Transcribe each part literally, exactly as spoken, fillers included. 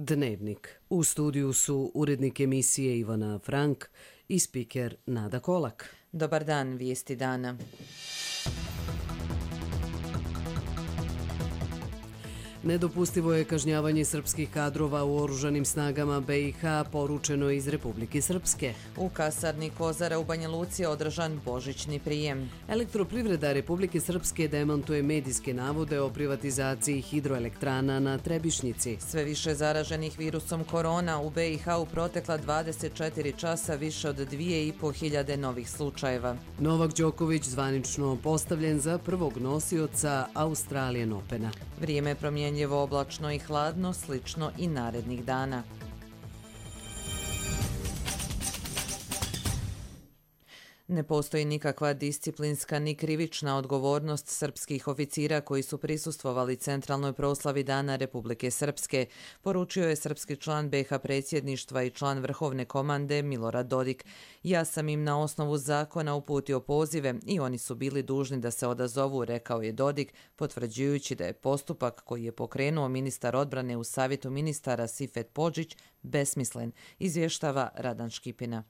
Dnevnik. U studiju su urednik emisije Ivana Frank i spiker Nada Kolak. Dobar dan, vijesti dana. Nedopustivo je kažnjavanje srpskih kadrova u oružanim snagama B i H, poručeno iz Republike Srpske. U kasarni Kozara u Banja Luci je održan božićni prijem. Elektroprivreda Republike Srpske demantuje medijske navode o privatizaciji hidroelektrana na Trebišnjici. Sve više zaraženih virusom korona u B i H u protekla dvadeset četiri časa, više od dvije i po hiljade novih slučajeva. Novak Đoković zvanično postavljen za prvog nosioca Australian Opena. Vrijeme je promjenjivo, oblačno i hladno, slično i narednih dana. Ne postoji nikakva disciplinska ni krivična odgovornost srpskih oficira koji su prisustvovali centralnoj proslavi Dana Republike Srpske, poručio je srpski član B i H predsjedništva i član vrhovne komande Milorad Dodik. Ja sam im na osnovu zakona uputio pozive i oni su bili dužni da se odazovu, rekao je Dodik, potvrđujući da je postupak koji je pokrenuo ministar odbrane u savjetu ministara Sifet Podžić besmislen, izvještava Radan Škipina.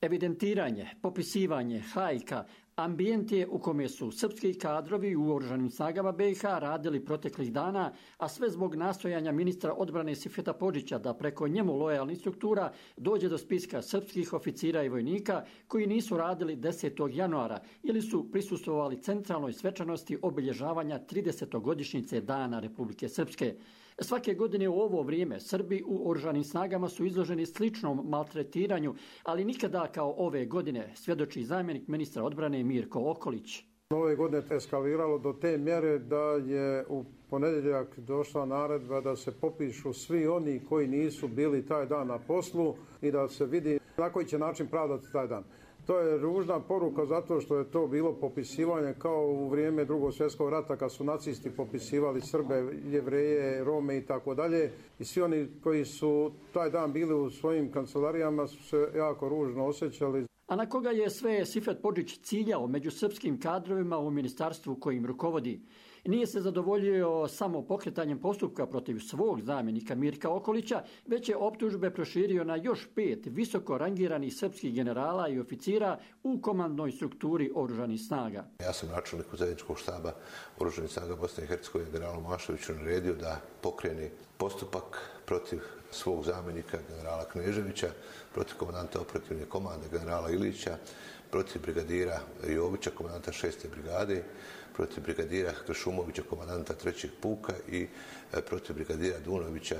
Evidentiranje, popisivanje, hajka, ambijent je u kome su srpski kadrovi u oružanim snagama B i H radili proteklih dana, a sve zbog nastojanja ministra odbrane Sifeta Podžića da preko njemu lojalnih struktura dođe do spiska srpskih oficira i vojnika koji nisu radili desetog januara ili su prisustvovali centralnoj svečanosti obilježavanja tridesetogodišnjice Dana Republike Srpske. Svake godine u ovo vrijeme Srbi u oružanim snagama su izloženi sličnom maltretiranju, ali nikada kao ove godine, svjedoči zamjenik ministra odbrane Mirko Okolić. Ove godine je eskaliralo do te mjere da je u ponedjeljak došla naredba da se popišu svi oni koji nisu bili taj dan na poslu i da se vidi na koji će način pravdati taj dan. To je ružna poruka zato što je to bilo popisivanje kao u vrijeme Drugog svjetskog rata kad su nacisti popisivali Srbe, Jevreje, Rome i tako dalje. I svi oni koji su taj dan bili u svojim kancelarijama su se jako ružno osjećali. A na koga je sve Sifet Podžić ciljao među srpskim kadrovima u ministarstvu kojim rukovodi? Nije se zadovoljio samo pokretanjem postupka protiv svog zamjenika Mirka Okolića, već je optužbe proširio na još pet visoko rangiranih srpskih generala i oficira u komandnoj strukturi oružanih snaga. Ja sam načelniku zajedničkog štaba oružanih snaga Bosne i Hercegovine generalu Mašoviću naredio da pokrene postupak protiv svog zamjenika generala Kneževića, protiv komandanta operativne komande generala Ilića, protiv brigadira Jovića, komandanta šeste brigade, protiv brigadira Kršumovića, komandanta trećeg puka i protiv brigadira Dunovića,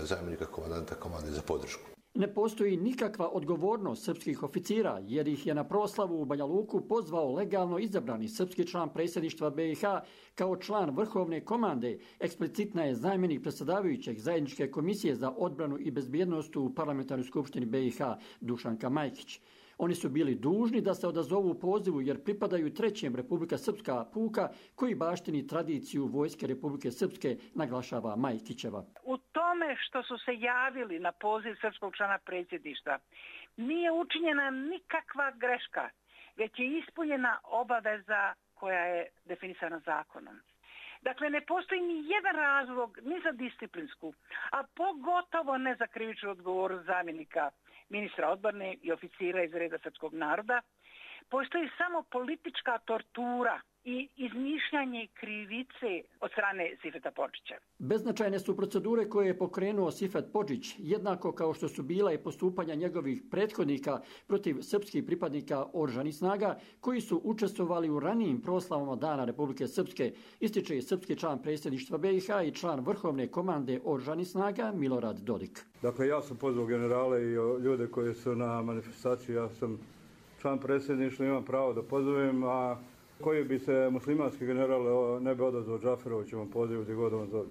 zamjenika komandanta komande za podršku. Ne postoji nikakva odgovornost srpskih oficira, jer ih je na proslavu u Banja Luku pozvao legalno izabrani srpski član predsjedništva B i H kao član vrhovne komande. Eksplicitna je zamjenik predsjedavajućeg zajedničke komisije za odbranu i bezbjednost u parlamentarnoj skupštini B i H Dušanka Majkić. Oni su bili dužni da se odazovu pozivu jer pripadaju trećem Republika Srpska puka koji baštini tradiciju vojske Republike Srpske, naglašava Majkićeva. U tome što su se javili na poziv srpskog člana predsjedništva nije učinjena nikakva greška, već je ispunjena obaveza koja je definisana zakonom. Dakle, ne postoji ni jedan razlog ni za disciplinsku, a pogotovo ne za krivičnu odgovornost zamjenika ministra odbrane i oficira iz reda srpskog naroda. Postoji samo politička tortura i izmišljanje krivice od strane Sifeta Podžića. Beznačajne su procedure koje je pokrenuo Sifet Podžić, jednako kao što su bila i postupanja njegovih prethodnika protiv srpskih pripadnika oružanih snaga koji su učestvovali u ranijim proslavama Dana Republike Srpske, ističe srpski član predsjedništva B i H i član vrhovne komande oružanih snaga Milorad Dodik. Dakle, ja sam pozvao generale i ljude koji su na manifestaciji, ja sam član predsjedništva, imam pravo da pozovem, a koji bi se muslimanski general ne bi odazvao Džaferovićevom pozivu gdje god on zove.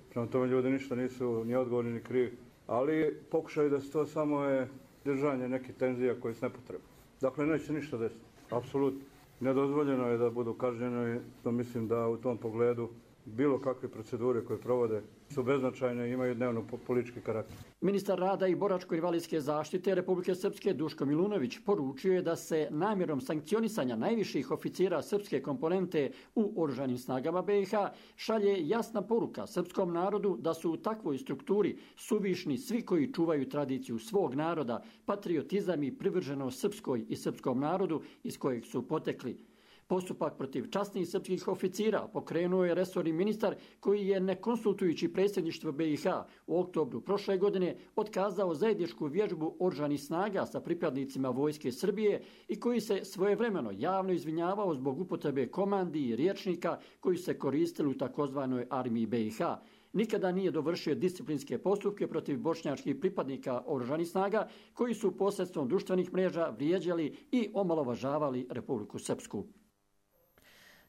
Prema tome ljudi ništa nisu ni odgovorni ni krivi, ali pokušaju da se to samo je držanje nekih tenzija koje su nepotrebne. Dakle, neće ništa desiti. Apsolutno. Nedozvoljeno je da budu kažnjeni, to mislim da u tom pogledu bilo kakve procedure koje provode su beznačajne i imaju dnevno politički karakter. Ministar rada i boračko-invalidske zaštite Republike Srpske Duško Milunović poručio je da se namjerom sankcionisanja najviših oficira srpske komponente u Oružanim snagama B i H šalje jasna poruka srpskom narodu da su u takvoj strukturi suvišni svi koji čuvaju tradiciju svog naroda, patriotizam i privrženost srpskoj i srpskom narodu iz kojeg su potekli. Postupak protiv časnih srpskih oficira pokrenuo je resorni ministar koji je, ne konsultujući predsjedništvo B i H, u oktobru prošle godine otkazao zajedničku vježbu oružanih snaga sa pripadnicima Vojske Srbije i koji se svojevremeno javno izvinjavao zbog upotrebe komandi i rječnika koji se koristili u takozvanoj armiji B i H. Nikada nije dovršio disciplinske postupke protiv bošnjačkih pripadnika oružanih snaga koji su posredstvom društvenih mreža vrijeđali i omalovažavali Republiku Srpsku.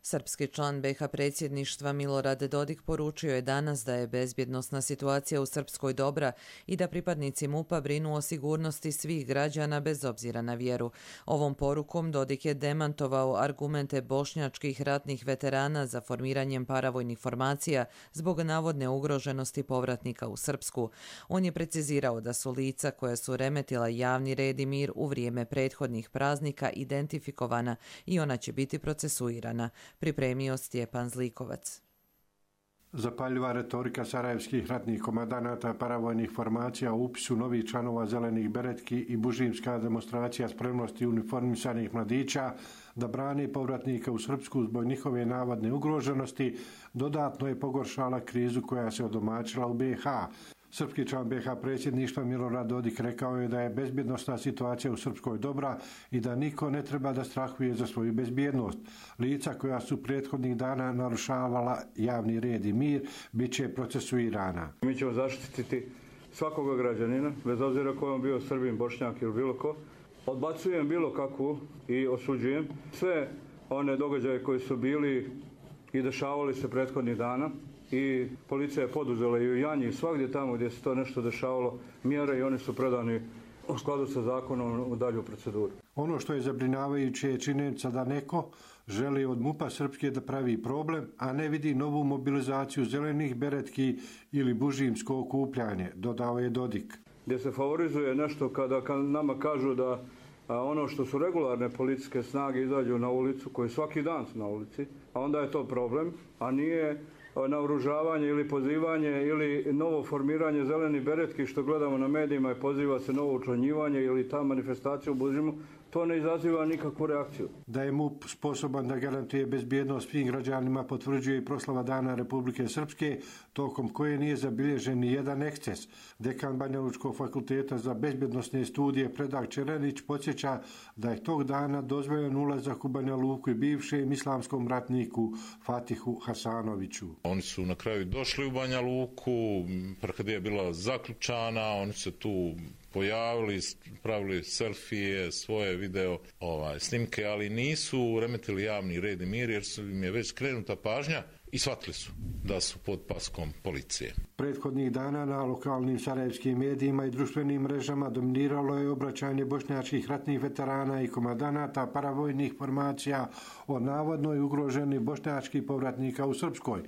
Srpski član B i H predsjedništva Milorad Dodik poručio je danas da je bezbjednosna situacija u Srpskoj dobra i da pripadnici MUP-a brinu o sigurnosti svih građana bez obzira na vjeru. Ovom porukom Dodik je demantovao argumente bošnjačkih ratnih veterana za formiranjem paravojnih formacija zbog navodne ugroženosti povratnika u Srpsku. On je precizirao da su lica koja su remetila javni red i mir u vrijeme prethodnih praznika identifikovana i ona će biti procesuirana. Pripremio Stjepan Zlikovac. Zapaljiva retorika sarajevskih ratnih komandanata paravojnih formacija u upisu novih članova zelenih beretki i bužimska demonstracija spremnosti uniformisanih mladića da brani povratnika u Srpsku zbog njihove navodne ugroženosti dodatno je pogoršala krizu koja se odomaćila u B i H. Srpski član B i H predsjedništva Milorad Dodik rekao je da je bezbjednosna situacija u Srpskoj dobra i da niko ne treba da strahuje za svoju bezbjednost. Lica koja su prethodnih dana narušavala javni red i mir bit će procesuirana. Mi ćemo zaštititi svakoga građanina, bez obzira ko on bio Srbin, Bošnjak ili bilo ko. Odbacujem bilo kakvu i osuđujem sve one događaje koji su bili i dešavali se prethodnih dana. I policija je poduzela i u Janji i svagdje tamo gdje se to nešto dešavalo mjere i oni su predani u skladu sa zakonom u dalju proceduru. Ono što je zabrinjavajuće je činjenica da neko želi od MUP-a Srpske da pravi problem, a ne vidi novu mobilizaciju zelenih beretki ili bužimsko okupljanje, dodao je Dodik. Gdje se favorizuje nešto kada nama kažu da a ono što su regularne policijske snage izađu na ulicu, koji svaki dan su na ulici, a onda je to problem, a nije naoružavanje ili pozivanje ili novo formiranje zelenih beretki što gledamo na medijima i poziva se novo učlanjivanje ili ta manifestacija u Bužimu, to ne izaziva nikakvu reakciju. Da je MUP sposoban da garantuje bezbjednost svim građanima potvrđuje i proslava Dana Republike Srpske, tokom koje nije zabilježen ni jedan eksces. Dekan Banjalučkog fakulteta za bezbjednosne studije Predrag Čerenić podsjeća da je tog dana dozvoljen ulazak u Banja Luku i bivšem islamskom ratniku Fatihu Hasanoviću. Oni su na kraju došli u Banja Luku, kad je bila zaključana, oni su tu pojavili, pravili selfije, svoje video ovaj, snimke, ali nisu remetili javni red i mir jer su im je već skrenuta pažnja i shvatili su da su pod paskom policije. Prethodnih dana na lokalnim sarajevskim medijima i društvenim mrežama dominiralo je obraćanje bošnjačkih ratnih veterana i komandanata paravojnih formacija o navodnoj ugroženi bošnjačkih povratnika u Srpskoj.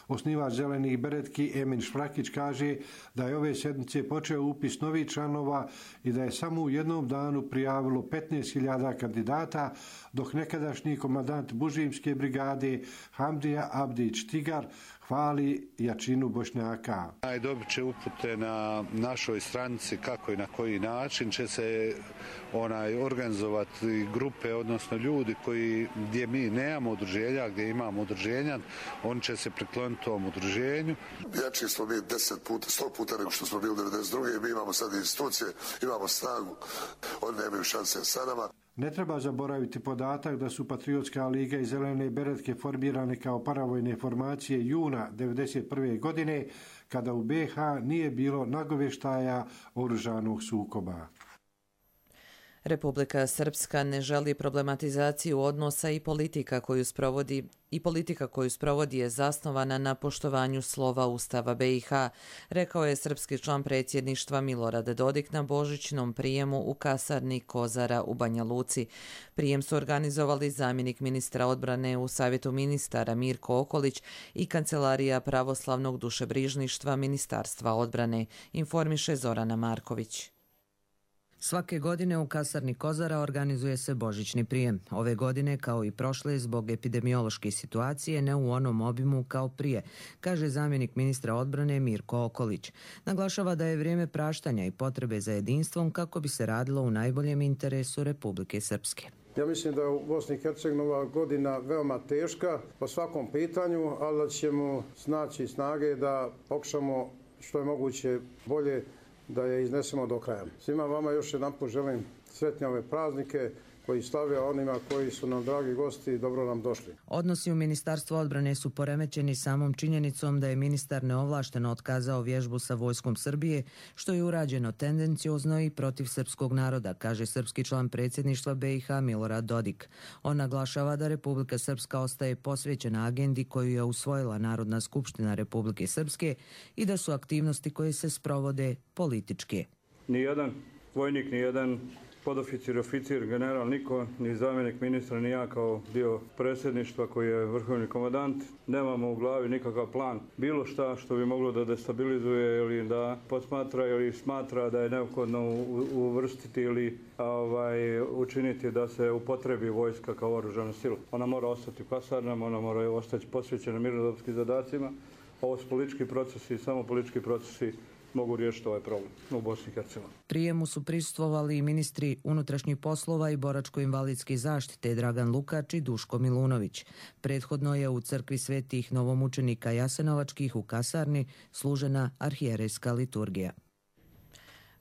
Osnivač zelenih beretki Emin Šfrakić kaže da je ove sedmice počeo upis novih članova i da je samo u jednom danu prijavilo petnaest hiljada kandidata, dok nekadašnji komandant Bužimske brigade Hamdija Abdić Tigar hvali jačinu Bošnjaka. Dobit će upute na našoj stranici kako i na koji način će se onaj organizovati grupe, odnosno ljudi koji gdje mi nemamo udruženja, gdje imamo udruženja, oni će se prikloniti tom udruženju. Jači smo mi deset puta, sto puta nego što smo bili devedeset druge. Mi imamo sad institucije, imamo snagu, oni nemaju šanse sa nama. Ne treba zaboraviti podatak da su Patriotska liga i zelene beretke formirane kao paravojne formacije juna devedeset prve godine, kada u B i H nije bilo nagovještaja oružanog sukoba. Republika Srpska ne želi problematizaciju odnosa i politika koju sprovodi i politika koju sprovodi je zasnovana na poštovanju slova Ustava B i H, rekao je srpski član predsjedništva Milorad Dodik na božićnom prijemu u kasarni Kozara u Banja Luci. Prijem su organizovali zamjenik ministra odbrane u Savjetu ministara Mirko Okolić i Kancelarija pravoslavnog dušebrižništva Ministarstva odbrane, informiše Zorana Marković. Svake godine u kasarni Kozara organizuje se božićni prijem. Ove godine, kao i prošle, zbog epidemiološke situacije ne u onom obimu kao prije, kaže zamjenik ministra odbrane Mirko Okolić. Naglašava da je vrijeme praštanja i potrebe za jedinstvom kako bi se radilo u najboljem interesu Republike Srpske. Ja mislim da je u Bosni i Hercegovini ova godina veoma teška po svakom pitanju, ali da ćemo snaći snage da pokušamo što je moguće bolje da je iznesemo do kraja. Svima vama još jedanput želim sretne ove praznike koji slave, onima koji su nam dragi gosti i dobro nam došli. Odnosi u Ministarstvu odbrane su poremećeni samom činjenicom da je ministar neovlašteno otkazao vježbu sa vojskom Srbije, što je urađeno tendenciozno i protiv srpskog naroda, kaže srpski član predsjedništva B i H Milorad Dodik. On naglašava da Republika Srpska ostaje posvećena agendi koju je usvojila Narodna skupština Republike Srpske i da su aktivnosti koje se sprovode političke. Nijedan vojnik, nijedan podoficir, oficir, general, niko, ni zamjenik ministra, ni ja kao dio predsjedništva koji je vrhovni komandant, nemamo u glavi nikakav plan. Bilo šta što bi moglo da destabilizuje ili da posmatra ili smatra da je neophodno uvrstiti ili ovaj, učiniti da se upotrebi vojska kao oružana sila. Ona mora ostati u kasarnama, ona mora ostati posvećena mirnodopskim zadacima. Ovo su politički procesi i samo politički procesi mogu riješiti ovaj problem u Bosni i Hercegovini. Prijemu su prisustvovali i ministri unutrašnjih poslova i boračko-invalidske zaštite Dragan Lukač i Duško Milunović. Prethodno je u crkvi svetih novomučenika Jasenovačkih u kasarni služena arhijerejska liturgija.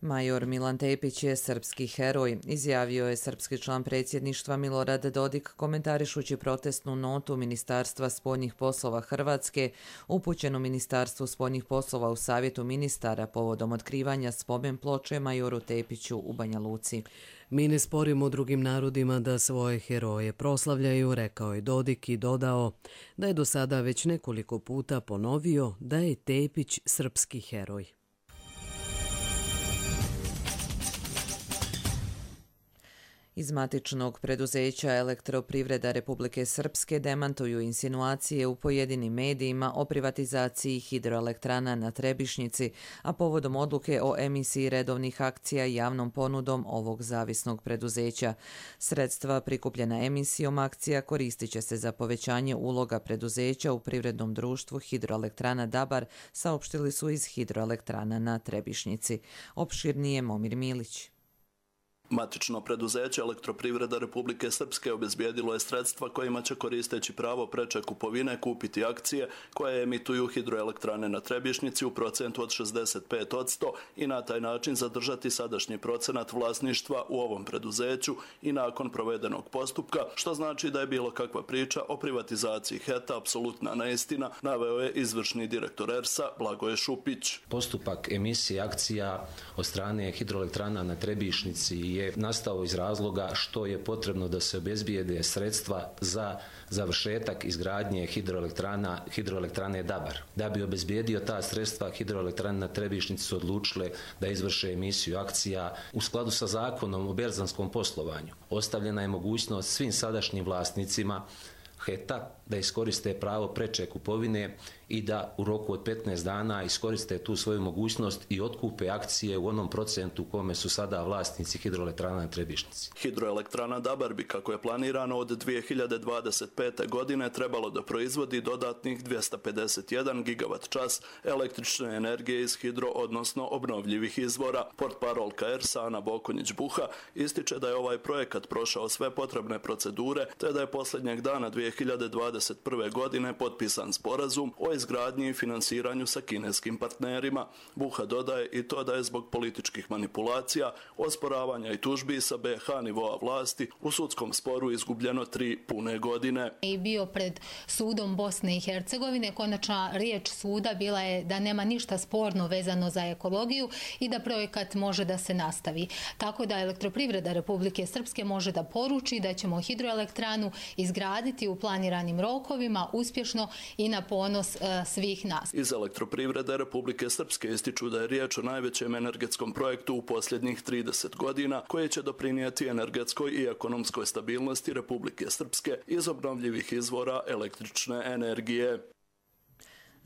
Major Milan Tepić je srpski heroj, izjavio je srpski član predsjedništva Milorad Dodik komentarišući protestnu notu Ministarstva spoljnih poslova Hrvatske upućenu Ministarstvu spoljnih poslova u Savjetu ministara povodom otkrivanja spomen ploče majoru Tepiću u Banja Luci. Mi ne sporimo drugim narodima da svoje heroje proslavljaju, rekao je Dodik i dodao da je do sada već nekoliko puta ponovio da je Tepić srpski heroj. Iz matičnog preduzeća Elektroprivreda Republike Srpske demantuju insinuacije u pojedinim medijima o privatizaciji hidroelektrana na Trebišnjici, a povodom odluke o emisiji redovnih akcija javnom ponudom ovog zavisnog preduzeća. Sredstva prikupljena emisijom akcija koristit će se za povećanje uloga preduzeća u privrednom društvu Hidroelektrana Dabar, saopštili su iz Hidroelektrana na Trebišnjici. Opširnije Momir Milić. Matično preduzeće Elektroprivreda Republike Srpske obezbijedilo je sredstva kojima će koristeći pravo preče kupovine kupiti akcije koje emituju hidroelektrane na Trebišnjici u procentu od šezdeset pet posto i na taj način zadržati sadašnji procenat vlasništva u ovom preduzeću i nakon provedenog postupka, što znači da je bilo kakva priča o privatizaciji H E T-a apsolutna neistina, naveo je izvršni direktor E R S-a Blagoje Šupić. Postupak emisije akcija od strane hidroelektrana na Trebišnjici je nastao iz razloga što je potrebno da se obezbijede sredstva za završetak izgradnje hidroelektrana, hidroelektrane Dabar. Da bi obezbijedio ta sredstva, hidroelektrane na Trebišnjici su odlučile da izvrše emisiju akcija u skladu sa zakonom o berzanskom poslovanju. Ostavljena je mogućnost svim sadašnjim vlasnicima H E T-a da iskoriste pravo preče kupovine i da u roku od petnaest dana iskoriste tu svoju mogućnost i otkupe akcije u onom procentu u kome su sada vlasnici hidroelektrana na Trebišnjici. Hidroelektrana Dabar bi, kako je planirano, od dvije hiljade dvadeset pete. godine trebalo da proizvodi dodatnih dvjesto pedeset jedan gigavat čas električne energije iz hidro, odnosno obnovljivih izvora. Portparolka E R S-a Ana Bokonjić-Buha ističe da je ovaj projekat prošao sve potrebne procedure, te da je posljednjeg dana dvije hiljade dvadeset prve. godine potpisan sporazum o izgradnji i finansiranju sa kineskim partnerima. Buha dodaje i to da je zbog političkih manipulacija, osporavanja i tužbi sa B iH nivoa vlasti u sudskom sporu izgubljeno tri pune godine. I bio pred sudom Bosne i Hercegovine. Konačna riječ suda bila je da nema ništa sporno vezano za ekologiju i da projekat može da se nastavi. Tako da Elektroprivreda Republike Srpske može da poruči da ćemo hidroelektranu izgraditi u planiranim rokovima uspješno i na ponos e, svih nas. Iz Elektroprivrede Republike Srpske ističu da je riječ o najvećem energetskom projektu u posljednjih trideset godina koji će doprinijeti energetskoj i ekonomskoj stabilnosti Republike Srpske iz obnovljivih izvora električne energije.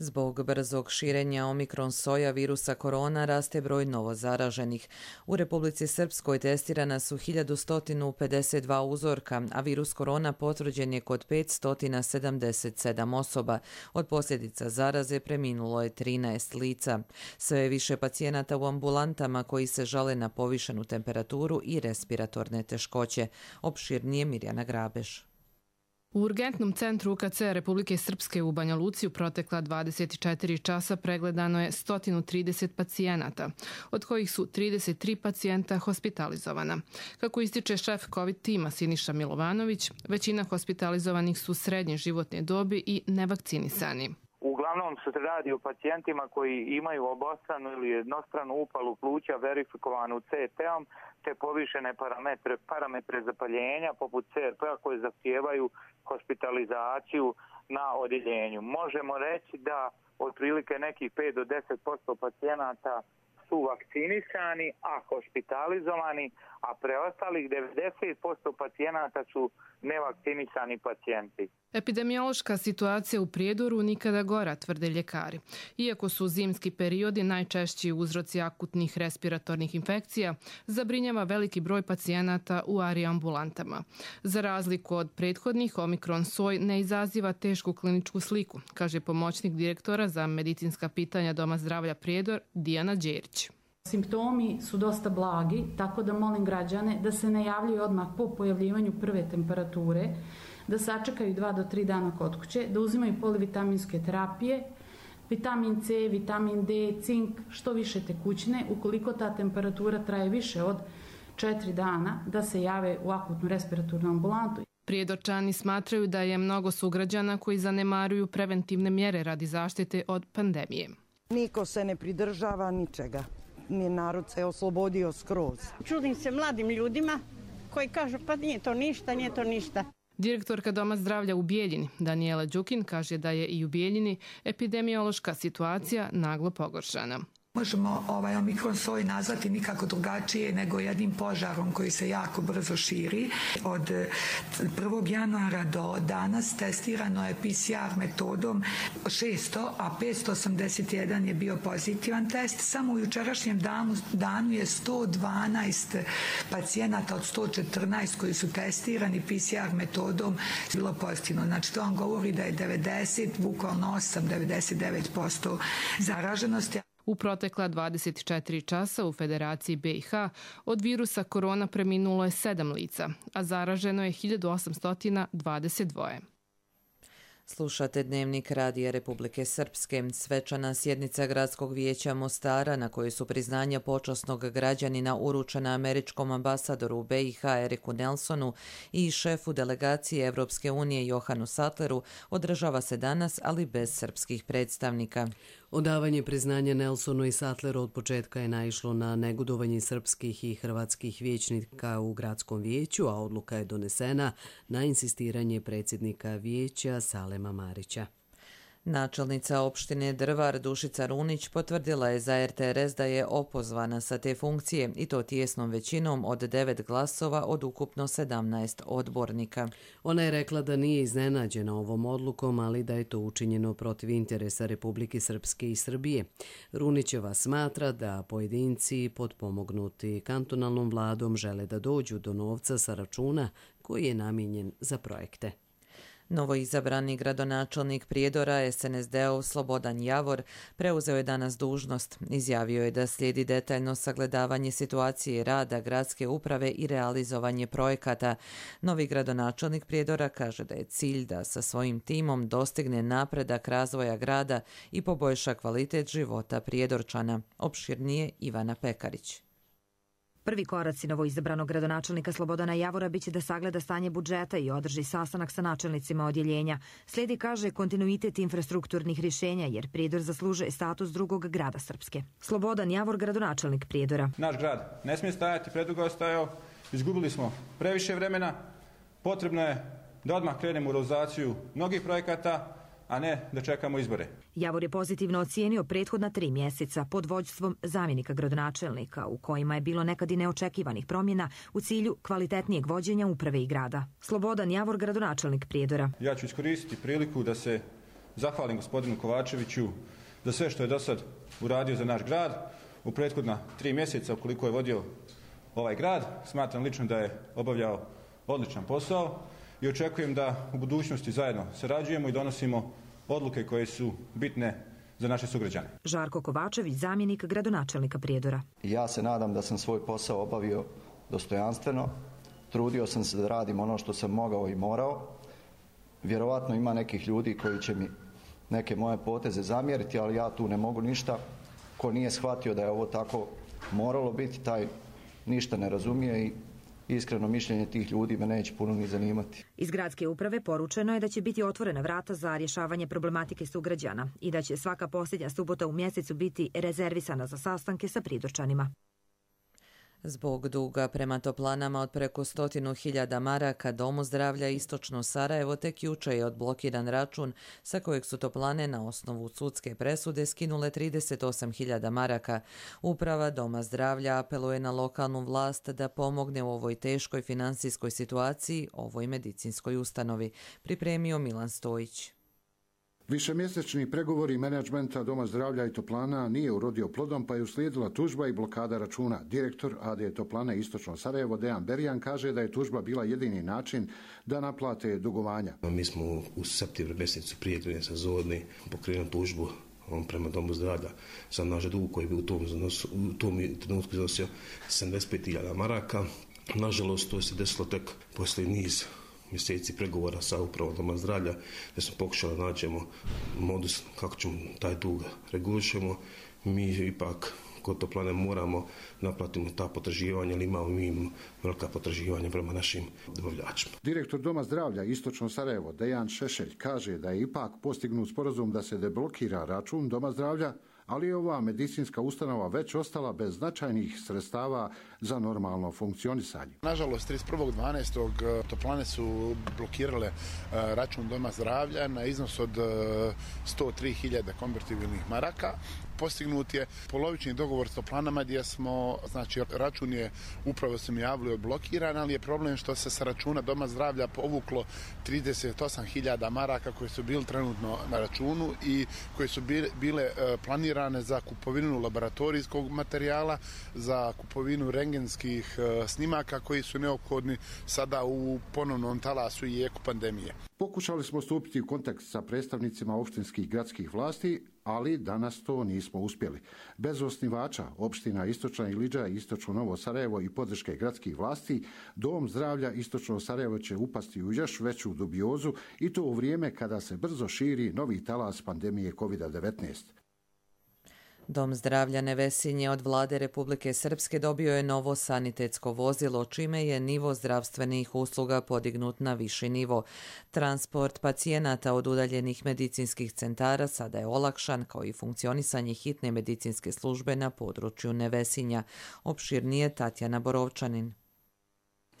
Zbog brzog širenja omikron soja virusa korona raste broj novozaraženih. U Republici Srpskoj testirana su hiljadu sto pedeset dva uzorka, a virus korona potvrđen je kod petsto sedamdeset sedam osoba. Od posljedica zaraze preminulo je trinaest lica. Sve je više pacijenata u ambulantama koji se žale na povišenu temperaturu i respiratorne teškoće. Opširnije Mirjana Grabeš. U urgentnom centru U K C Republike Srpske u Banja Luci u protekla dvadeset četiri časa pregledano je sto trideset pacijenata, od kojih su trideset tri pacijenta hospitalizovana. Kako ističe šef COVID tima Siniša Milovanović, većina hospitalizovanih su srednje životne dobi i nevakcinisani. Uglavnom se radi o pacijentima koji imaju obostranu ili jednostranu upalu pluća verifikovanu C T-om te povišene parametre, parametre zapaljenja poput C R P-a koje zahtijevaju hospitalizaciju na odjeljenju. Možemo reći da otprilike nekih pet do deset posto pacijenata su vakcinisani, a hospitalizovani, a preostalih devedeset posto pacijenata su nevakcinisani pacijenti. Epidemiološka situacija u Prijedoru nikada gora, tvrde ljekari. Iako su zimski periodi najčešći uzroci akutnih respiratornih infekcija, zabrinjava veliki broj pacijenata u A R I ambulantama. Za razliku od prethodnih, omikron soj ne izaziva tešku kliničku sliku, kaže pomoćnik direktora za medicinska pitanja Doma zdravlja Prijedor Dijana Đerić. Simptomi su dosta blagi, tako da molim građane da se ne javljaju odmah po pojavljivanju prve temperature, da sačekaju dva do tri dana kod kuće, da uzimaju polivitaminske terapije, vitamin C, vitamin D, cink, što više tekućine. Ukoliko ta temperatura traje više od četiri dana, da se jave u akutnu respiratornu ambulantu. Prijedorčani smatraju da je mnogo sugrađana koji zanemaruju preventivne mjere radi zaštite od pandemije. Niko se ne pridržava ničega. Ni narod se oslobodio skroz. Čudim se mladim ljudima koji kažu pa nije to ništa, nije to ništa. Direktorka Doma zdravlja u Bijeljini, Danijela Đukin, kaže da je i u Bijeljini epidemiološka situacija naglo pogoršana. Možemo ovaj omikron soj nazvati nikako drugačije nego jednim požarom koji se jako brzo širi. Od prvog januara do danas testirano je P C R metodom šesto, a petsto osamdeset jedan je bio pozitivan test. Samo u jučerašnjem danu, danu je sto dvanaest pacijenata od sto četrnaest koji su testirani P C R metodom bilo pozitivno. Znači to vam govori da je devedeset, bukvalno osam, devedeset devet posto zaraženosti. U protekla dvadeset četiri časa u Federaciji B iH od virusa korona preminulo je sedam lica, a zaraženo je hiljadu osamsto dvadeset dva. Slušate Dnevnik Radija Republike Srpske. Svečana sjednica Gradskog vijeća Mostara na kojoj su priznanja počasnog građanina uručena američkom ambasadoru u B iH Eriku Nelsonu i šefu delegacije Evropske unije Johanu Sattleru održava se danas, ali bez srpskih predstavnika. Odavanje priznanja Nelsonu i Sattleru od početka je naišlo na negodovanje srpskih i hrvatskih vijećnika u Gradskom vijeću, a odluka je donesena na insistiranje predsjednika vijeća Salema Marića. Načelnica opštine Drvar Dušica Runić potvrdila je za R T R S da je opozvana sa te funkcije i to tijesnom većinom od devet glasova od ukupno sedamnaest odbornika. Ona je rekla da nije iznenađena ovom odlukom, ali da je to učinjeno protiv interesa Republike Srpske i Srbije. Runićeva smatra da pojedinci potpomognuti kantonalnom vladom žele da dođu do novca sa računa koji je namijenjen za projekte. Novoizabrani gradonačelnik Prijedora S N S D-ov Slobodan Javor preuzeo je danas dužnost. Izjavio je da slijedi detaljno sagledavanje situacije rada gradske uprave i realizovanje projekata. Novi gradonačelnik Prijedora kaže da je cilj da sa svojim timom dostigne napredak razvoja grada i poboljša kvalitet života Prijedorčana. Opširnije Ivana Pekarić. Prvi koraci novoizabranog gradonačelnika Slobodana Javora biće da sagleda stanje budžeta i održi sastanak sa načelnicima odjeljenja. Slijedi, kaže, kontinuitet infrastrukturnih rješenja jer Prijedor zaslužuje status drugog grada Srpske. Slobodan Javor, gradonačelnik Prijedora. Naš grad ne smije stajati, predugo je stajao, izgubili smo previše vremena, potrebno je da odmah krenemo u realizaciju mnogih projekata, a ne da čekamo izbore. Javor je pozitivno ocijenio prethodna tri mjeseca pod vođstvom zamjenika gradonačelnika, u kojima je bilo nekad i neočekivanih promjena u cilju kvalitetnijeg vođenja uprave i grada. Slobodan Javor, gradonačelnik Prijedora. Ja ću iskoristiti priliku da se zahvalim gospodinu Kovačeviću za sve što je do sad uradio za naš grad u prethodna tri mjeseca ukoliko je vodio ovaj grad. Smatram lično da je obavljao odličan posao i očekujem da u budućnosti zajedno sarađujemo i donosimo odluke koje su bitne za naše sugrađane. Žarko Kovačević, zamjenik gradonačelnika Prijedora. Ja se nadam da sam svoj posao obavio dostojanstveno. Trudio sam se da radim ono što sam mogao i morao. Vjerovatno ima nekih ljudi koji će mi neke moje poteze zamjeriti, ali ja tu ne mogu ništa. Ko nije shvatio da je ovo tako moralo biti, taj ništa ne razumije i iskreno mišljenje tih ljudi me neće puno ni zanimati. Iz gradske uprave poručeno je da će biti otvorena vrata za rješavanje problematike sugrađana i da će svaka posljednja subota u mjesecu biti rezervisana za sastanke sa Prijedorčanima. Zbog duga prema toplanama od preko stotinu hiljada maraka Domu zdravlja Istočno Sarajevo tek jučer je odblokiran račun sa kojeg su toplane na osnovu sudske presude skinule trideset osam hiljada maraka. Uprava Doma zdravlja apeluje na lokalnu vlast da pomogne u ovoj teškoj financijskoj situaciji ovoj medicinskoj ustanovi, pripremio Milan Stojić. Višemjesečni pregovori menadžmenta Doma zdravlja i toplana nije urodio plodom, pa je uslijedila tužba i blokada računa. Direktor A D Toplane Istočno Sarajevo Dejan Berjan kaže da je tužba bila jedini način da naplate dugovanja. Mi smo u septembru mjesecu prije grejne sezone pokrenuli tužbu prema Domu zdravlja za naš dug koji bi u tom, u tom trenutku iznosio sedamdeset pet hiljada maraka. Nažalost, to se desilo tek poslije niz mjeseci pregovora sa upravom Doma zdravlja, gdje smo pokušali da nađemo modus kako ćemo taj dug regulišemo. Mi ipak kod toplane moramo naplatiti ta potraživanja, ali imamo mi velika potraživanja prema našim dobavljačima. Direktor Doma zdravlja Istočno Sarajevo Dejan Šešelj kaže da je ipak postignut sporazum da se deblokira račun Doma zdravlja, ali je ova medicinska ustanova već ostala bez značajnih sredstava za normalno funkcionisanje. Nažalost, trideset prvog dvanaestog toplane su blokirale račun Doma zdravlja na iznos od sto tri hiljade konvertibilnih maraka. Postignut je polovični dogovor s toplanama gdje smo, znači račun je upravo se mi javili odblokiran, ali je problem što se sa računa Doma zdravlja povuklo trideset osam hiljada maraka koje su bili trenutno na računu i koje su bile planirane za kupovinu laboratorijskog materijala, za kupovinu rengenskih snimaka koji su neophodni sada u ponovnom talasu i jeku pandemije. Pokušali smo stupiti u kontakt sa predstavnicima opštinskih gradskih vlasti, ali danas to nismo uspjeli. Bez osnivača opština Istočna Iliđa i Istočno Novo Sarajevo i podrške gradskih vlasti, Dom zdravlja Istočno Sarajevo će upasti u još veću dubiozu i to u vrijeme kada se brzo širi novi talas pandemije kovid devetnaest. Dom zdravlja Nevesinje od vlade Republike Srpske dobio je novo sanitetsko vozilo, čime je nivo zdravstvenih usluga podignut na viši nivo. Transport pacijenata od udaljenih medicinskih centara sada je olakšan, kao i funkcionisanje hitne medicinske službe na području Nevesinja. Opširnije Tatjana Borovčanin.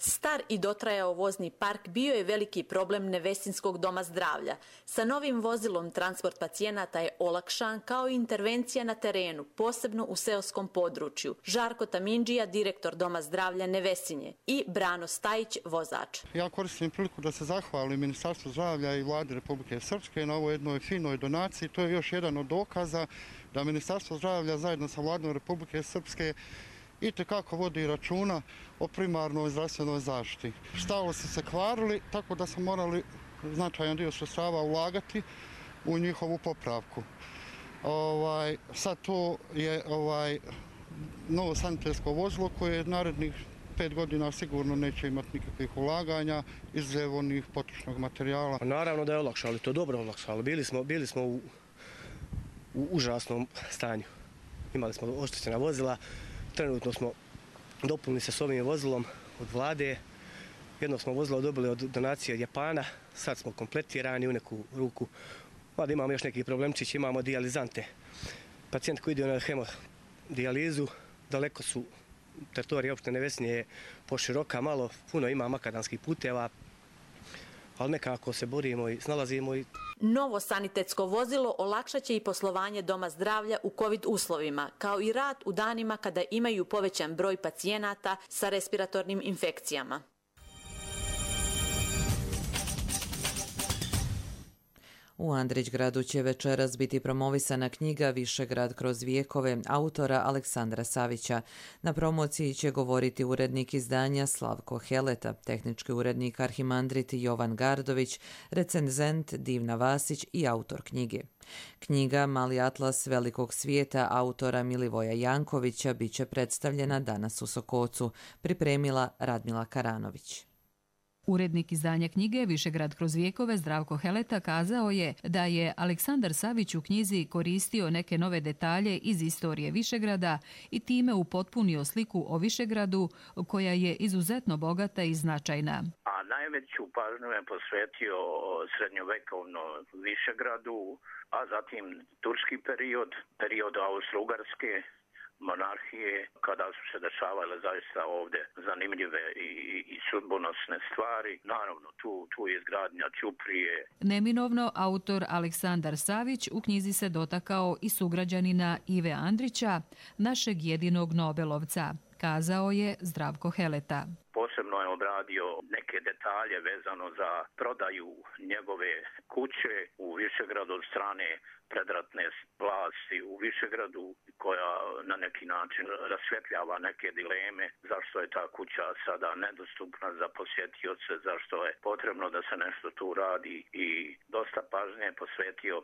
Star i dotrajao vozni park bio je veliki problem Nevesinskog doma zdravlja. Sa novim vozilom transport pacijenata je olakšan kao i intervencija na terenu, posebno u seoskom području. Žarko Tamindžija, direktor Doma zdravlja Nevesinje i Brano Stajić, vozač. Ja koristim priliku da se zahvalim Ministarstvu zdravlja i vladi Republike Srpske na ovoj jednoj finoj donaciji. To je još jedan od dokaza da Ministarstvo zdravlja zajedno sa vladom Republike Srpske i tekako vodi računa o primarnoj zdravstvenoj zaštiti. Štalo su se kvarili, tako da smo morali značajan dio sredstava ulagati u njihovu popravku. Ovaj, sad to je ovaj, novo sanitetsko vozilo koje narednih pet godina sigurno neće imati nikakvih ulaganja izuzev onih potrošnog materijala. Naravno da je olakšalo, to je dobro olakšalo. Bili smo, bili smo u, u užasnom stanju. Imali smo oštećena vozila, trenutno smo dopunili se s ovim vozilom od vlade. Jedno smo vozilo dobili od donacije od Japana, sad smo kompletirani u neku ruku. Mada imamo još neki problemčić, imamo dijalizante. Pacijent koji ide na hemodijalizu, daleko su teritorija opštine Vesinje je poširoka, malo, puno ima makadamskih puteva, ali nekako se borimo i snalazimo. I... Novo sanitetsko vozilo olakšat će i poslovanje Doma zdravlja u kovid uslovima, kao i rad u danima kada imaju povećan broj pacijenata sa respiratornim infekcijama. U Andrićgradu će večeras biti promovisana knjiga Višegrad kroz vijekove autora Aleksandra Savića. Na promociji će govoriti urednik izdanja Slavko Heleta, tehnički urednik Arhimandrit Jovan Gardović, recenzent Divna Vasić i autor knjige. Knjiga Mali atlas velikog svijeta autora Milivoja Jankovića biće predstavljena danas u Sokocu, pripremila Radmila Karanović. Urednik izdanja knjige Višegrad kroz vijekove Zdravko Heleta kazao je da je Aleksandar Savić u knjizi koristio neke nove detalje iz istorije Višegrada i time upotpunio sliku o Višegradu koja je izuzetno bogata i značajna. A najveću pažnju je posvetio srednjovekovno Višegradu, a zatim turski period, period Austro-Ugarske monarhije, kada su se dešavale zaista ovdje zanimljive i, i sudbonosne stvari. Naravno, tu, tu je izgradnja Ćuprije. Neminovno, autor Aleksandar Savić u knjizi se dotakao i sugrađanina Ive Andrića, našeg jedinog Nobelovca, kazao je Zdravko Heleta. Posebno je obradio neke detalje vezano za prodaju njegove kuće u Višegradu od strane predratne vlasti u Višegradu, koja na neki način rasvjetljava neke dileme zašto je ta kuća sada nedostupna za posjetioce, zašto je potrebno da se nešto tu radi i dosta pažnje je posvetio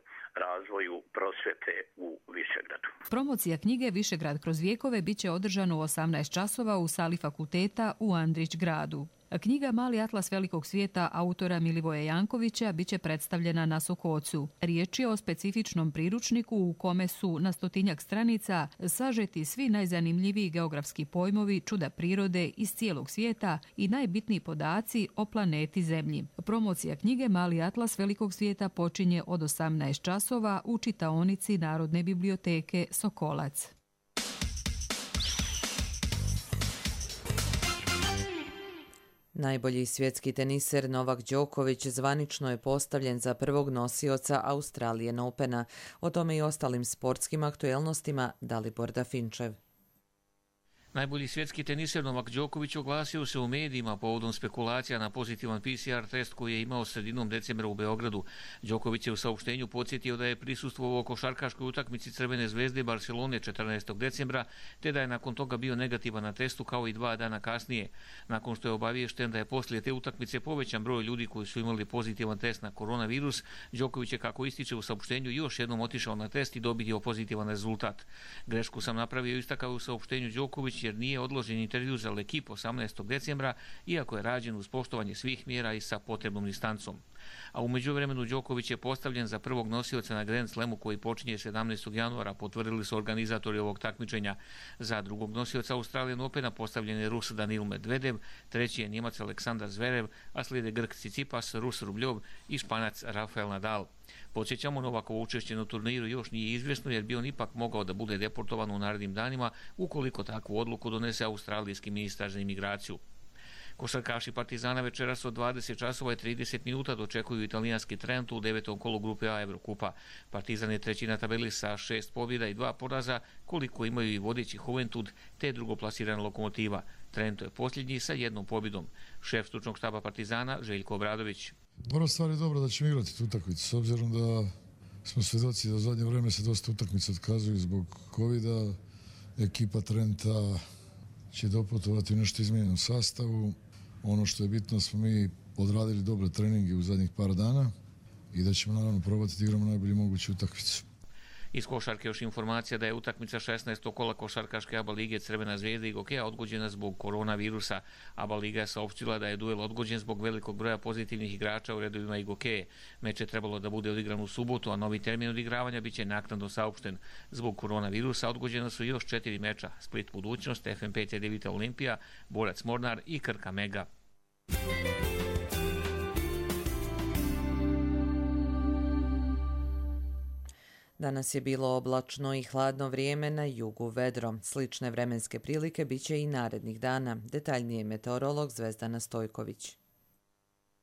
razvoju prosvjete u Višegradu. Promocija knjige Višegrad kroz vijekove biće održana u osamnaest časova u sali fakulteta u Andrićgradu. Knjiga Mali atlas velikog svijeta autora Milivoja Jankovića biće predstavljena na Sokocu. Riječ je o specifičnom priručniku u kome su na stotinjak stranica sažeti svi najzanimljiviji geografski pojmovi, čuda prirode iz cijelog svijeta i najbitniji podaci o planeti Zemlji. Promocija knjige Mali atlas velikog svijeta počinje od osamnaest časova u čitaonici Narodne biblioteke Sokolac. Najbolji svjetski teniser Novak Đoković zvanično je postavljen za prvog nosioca Australian Opena. O tome i ostalim sportskim aktuelnostima Dalibor Dafinčev. Najbolji svjetski teniser Novak Đoković oglasio se u medijima povodom spekulacija na pozitivan P C R test koji je imao sredinom decembra u Beogradu. Đoković je u saopštenju podsjetio da je prisustvovao košarkaškoj utakmici Crvene zvezde Barcelone četrnaestog decembra, te da je nakon toga bio negativan na testu kao i dva dana kasnije. Nakon što je obaviješten da je poslije te utakmice povećan broj ljudi koji su imali pozitivan test na koronavirus, Đoković je, kako ističe u saopštenju, još jednom otišao na test i dobio pozitivan rezultat. Grešku sam napravio, istakao u saopštenju Đoković, jer nije odložen intervju za L'Equipe osamnaestog decembra, iako je rađen uz poštovanje svih mjera i sa potrebnom distancom. A u međuvremenu Đoković je postavljen za prvog nosioca na Grand Slamu koji počinje sedamnaestog januara, potvrdili su organizatori ovog takmičenja. Za drugog nosioca Australian Opena postavljen je Rus Danil Medvedev, treći je Njemac Aleksandar Zverev, a slijede Grk Tsitsipas, Rus Rubljov i Španac Rafael Nadal. Podsjećamo, Novakovo učešće na turniru još nije izvjesno jer bi on ipak mogao da bude deportovan u narednim danima ukoliko takvu odluku donese australijski ministar za imigraciju. Košarkaši Partizana večeras od dvadeset časova i trideset minuta dočekuju italijanski Trent u devetom kolu grupe A Evrokupa. Partizan je treći na tabeli sa šest pobjeda i dva poraza, koliko imaju i vodeći Juventud te drugoplasirana Lokomotiva. Trento je posljednji sa jednom pobjedom. Šef stručnog štaba Partizana Željko Obradović. Prva stvar je dobro da ćemo igrati tu utakmicu, s obzirom da smo svjedoci da u zadnje vrijeme se dosta utakmica otkazuju zbog covida. Ekipa Trenta će doputovati u nešto izmijenjenom sastavu. Ono što je bitno, smo mi odradili dobre treninge u zadnjih par dana i da ćemo naravno probati da igramo najbolju moguću utakmicu. Iz košarke još informacija da je utakmica šesnaestog kola košarkaške A B A lige Crvena zvezda i Gokeja odgođena zbog koronavirusa. A B A liga je saopštila da je duel odgođen zbog velikog broja pozitivnih igrača u redovima i Gokeje. Meč je trebalo da bude odigran u subotu, a novi termin odigravanja biće naknadno saopšten. Zbog koronavirusa odgođena su još četiri meča: Split Budućnost, F M P C Devita Olimpija, Borac Mornar i Krka Mega. Danas je bilo oblačno i hladno vrijeme, na jugu vedro. Slične vremenske prilike biće i narednih dana. Detaljnije meteorolog Zvezdana Stojković.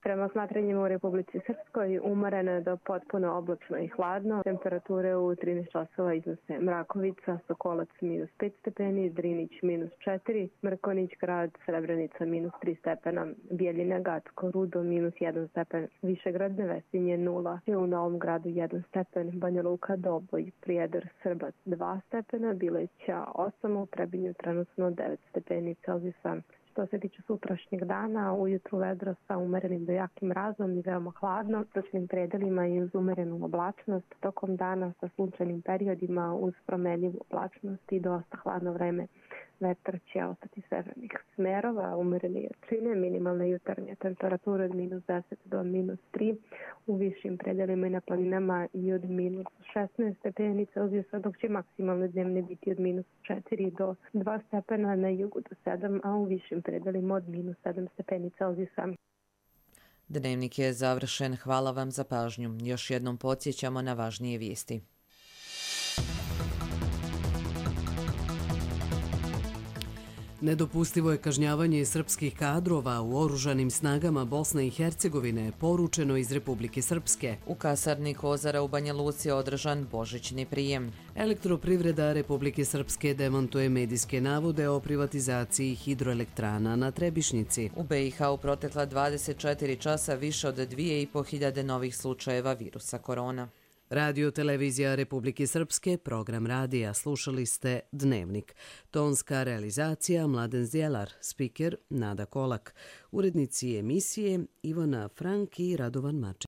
Prema smatranjima u Republici Srpskoj umoreno do potpuno oblačno i hladno. Temperature u trinaest časova iznose Mrakovica, Sokolac minus pet stepeni, Drinić minus četiri, Mrkonić grad, Srebrenica minus tri stepena, Bijeljina, Gacko, Rudo minus jedan stepen, Višegrad, Nevesinje nula, u Novom Gradu jedan stepen, Banja Luka, Doboj, Prijedor, Srbac dva stepena, Bileća osam, u Trebinju trenutno devet stepeni Celzijusa. Što se tiče sutrašnjeg dana, ujutru vedro sa umerenim do jakim mrazom i veoma hladno, točnim predelima i uz umerenu oblačnost, tokom dana sa sunčanim periodima uz promenljivu oblačnost i dosta hladno vreme. Vetar će ostati severnih smerova, umerene jačine, minimalne jutarnje temperature od minus deset do minus tri, u višim predelima i na planinama i od minus šesnaest stepeni Celzijusa, dok će maksimalne dnevne biti od minus četiri do dva stepena, na jugu do sedam, a u višim predelima od minus sedam stepeni Celzijusa. Dnevnik je završen. Hvala vam za pažnju. Još jednom podsjećamo na važnije vijesti. Nedopustivo je kažnjavanje srpskih kadrova u oružanim snagama Bosne i Hercegovine, poručeno iz Republike Srpske. U kasarni Kozara u Banja Luci je održan božićni prijem. Elektroprivreda Republike Srpske demantuje medijske navode o privatizaciji hidroelektrana na Trebišnjici. U B i H u protekla dvadeset četiri časa više od dvije i po hiljade novih slučajeva virusa korona. Radio Televizija Republike Srpske, program radija. Slušali ste Dnevnik. Tonska realizacija Mladen Zdjelar, spiker Nada Kolak. Urednici emisije Ivana Frank i Radovan Maček.